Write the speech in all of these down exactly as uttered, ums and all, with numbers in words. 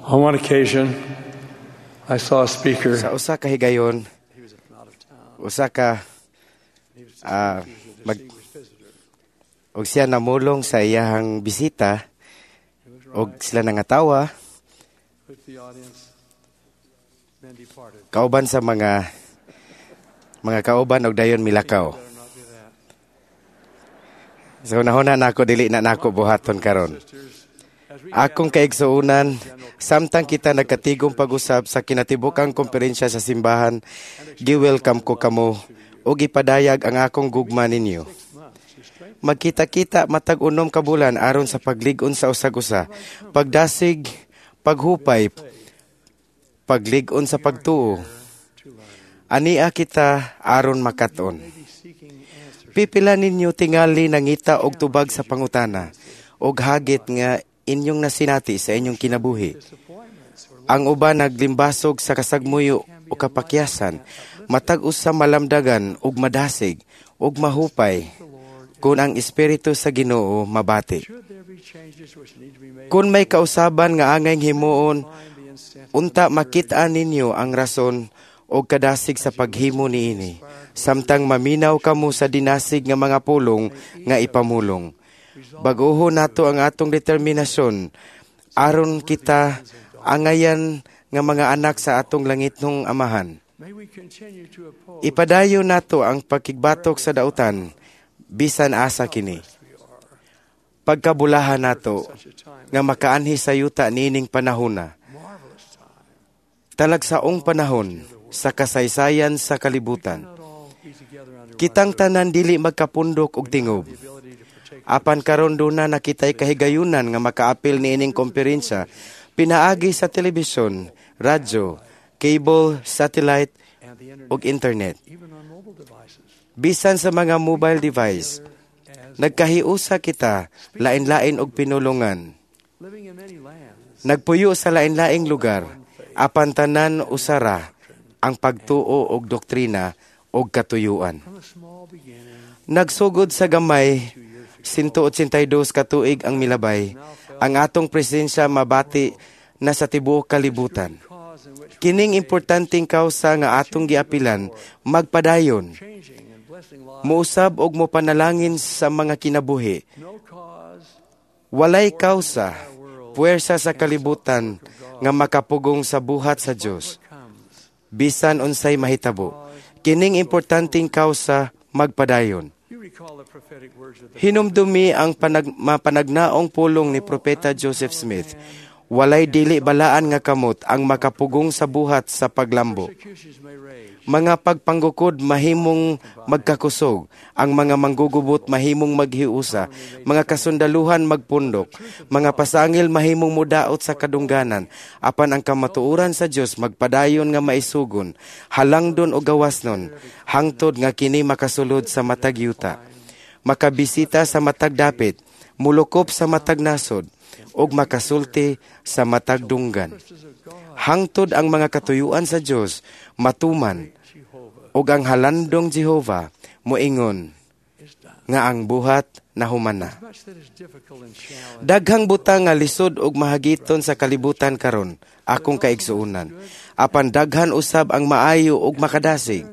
On one occasion, I saw a speaker. Sa usa ka higayon, He was from out of town. usa ka He was, ah, he was a mag distinguished visitor. og siya namulong sa iyahang bisita He was og right sila nangatawa with the audience, then departed. Kauban sa mga mga kauban og dayon milakaw. Better not do that. So nahuna nako, dili na nako buhaton karon. Sisters, as we Akong kaigsuonan, samtang kita nagkatigom pag-usab sa kinatibukang komperensya sa simbahan, gi-welcome ko kamo ug ipadayag ang akong gugma ninyo. six months to strengthen Magkita-kita matag unom ka bulan aron sa paglig-on sa usag-usa, pagdasig, paghupay, paglig-on sa pagtuo. To learn. Ania kita aron makat-on. Maybe seeking answers. Pipila ninyo tingali nangita og tubag sa pangutana og hagit nga inyong nasinati sa inyong kinabuhi. Disappointments or Ang uban naglimbasog sa kasagmuyo o kapakyasan, matag usa malamdagan ug madasig ug mahupay the Lord. Kung ang Espiritu sa Ginoo mabati. Should there be changes which need to be made, Kung may kausaban nga angay himuon, find the incentive unta makita ninyo ang rason og kadasig sa paghimo niini. Samtang maminaw kamo sa dinasig nga mga pulong nga ipamulong. Baguho nato ang atong determinasyon aron kita angayan nga mga anak sa atong langitnong Amahan. May we continue to oppose Ipadayon nato ang pagkigbatok sa dautan bisan asa kini. we are Pagkabulahan nato such a time, nga makaanhi sa yuta niining panahona. Marvelous time. Talagsaong panahon sa kasaysayan sa kalibutan. Not all be together under one Kitang tanan dili magkapundok og tingob. The ability to partake Apan karon duna na kitay kahigayunan nga makaapil niining komperensya pinaagi sa telebisyon, radyo, cable, satellite and the internet, ug internet. Even on mobile devices. Bisan sa mga mobile device, As nagkahiusa kita lain-lain og pinulungan. Living in many lands, Nagpuyo sa lain-laing lugar, apan tanan usara ang pagtuo og doktrina og katuyuan. From a small beginning, Nagsugod sa gamay, one eighty-two ka tuig ang milabay, ang atong presensya mabati na sa tibuok kalibutan. Cause in which Kining importanteng kausa nga atong giapilan magpadayon, changing and blessing lives, muusab og mopanalangin sa mga kinabuhi. No cause Walay kausa, puwersa sa kalibutan nga makapugong sa buhat sa Dios. Comes. Bisan unsay mahitabo, kining importanteng kausa magpadayon. You recall the prophetic words of the Hinumdumi ang panag, mapanagnaong pulong ni Propeta Joseph Smith. Walay dili balaan nga kamot ang makapugong sa buhat sa paglambo. Persecutions may rage. Mga pagpanggukod mahimong magkakusog, ang mga manggugubot mahimong maghiusa, mga kasundaluhan magpundok, mga pasangil mahimong mudaot sa kadungganan, apan ang kamatuoran sa Dios magpadayon nga maisugon, halangdon o gawasnon, hangtod nga kini makasulod sa matag yuta, makabisita sa matag dapit, mulukop sa matag nasod, ug makasulti sa matag dunggan. Purposes of God, Hangtod ang mga katuyuan sa Dios matuman Jehovah, ug ang halandong Jehova moingon is done. Nga ang buhat nahuman na. Much that is difficult and challenging. Daghang butang nga lisod ug mahagiton sa kalibutan karon, akong kaigsuonan. Apan daghan usab ang maayo ug makadasig.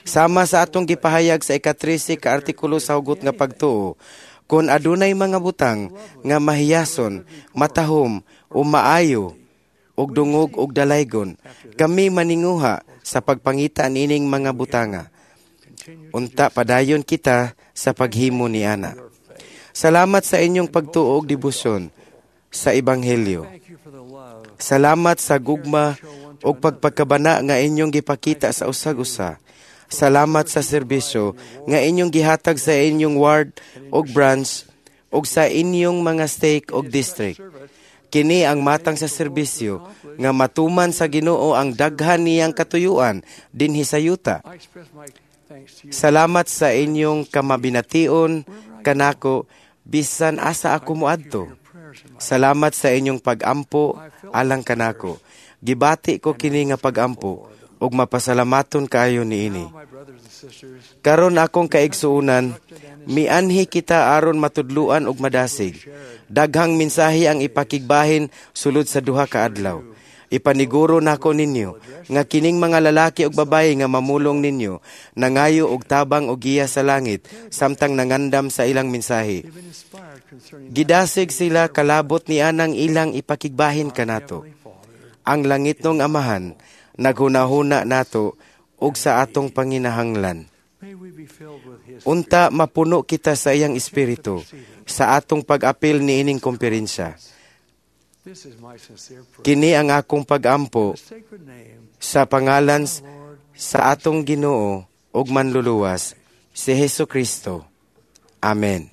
Sama sa atong gipahayag sa ikatrese ka artikulo sa Hugot nga Pagtuo, kung adunay mga butang nga mahiyason, matahom o maayo ug dungog ug dalaygon, kami maninguha sa pagpangita niining mga butanga. Unta padayon kita sa paghimo ni ana. Salamat sa inyong pagtuo og debosyon sa ebanghelyo. Thank you for the love Salamat sa gugma ug pagpagkabana nga inyong gipakita sa usag-usa. Salamat sa serbisyo nga inyong gihatag sa inyong ward ug branch ug sa inyong mga stake ug district. Kini ang matang sa serbisyo nga matuman sa Ginoo ang daghan niyang katuyuan dinhi sa yuta. I express my thanks to you. Salamat sa inyong kamabination kanako bisan asa ako moadto. Your prayers in my Salamat sa inyong pagampo alang kanako. Gibati ko kini nga pagampo. Ug mapasalamaton kaayo niini. Now, my brothers and sisters, Karon akong kaigsuonan, mianhi kita aron matudluan ug madasig. Daghang mensahe ang ipakigbahin sulod sa duha ka adlaw. Ipaniguro nako ninyo nga kining mga lalaki ug babayi nga mamulong ninyo nangayo og tabang og giya sa langit samtang nangandam sa ilang mensahe. they've been inspired concerning Gidasig sila kalabot ni anang ilang ipakigbahin kanato. Heavenly Father. Ang langitnong Amahan naghunahuna nato ug sa atong panginahanglan. May we be filled with His Unta mapuno kita sa iyang espiritu sa atong pag-apil niining komperensya. This is my sincere prayer. Kini ang akong pag-ampo The sacred name, sa pangalan Lord, sa atong Ginoo ug Manluluwas, si Hesus Kristo. Amen.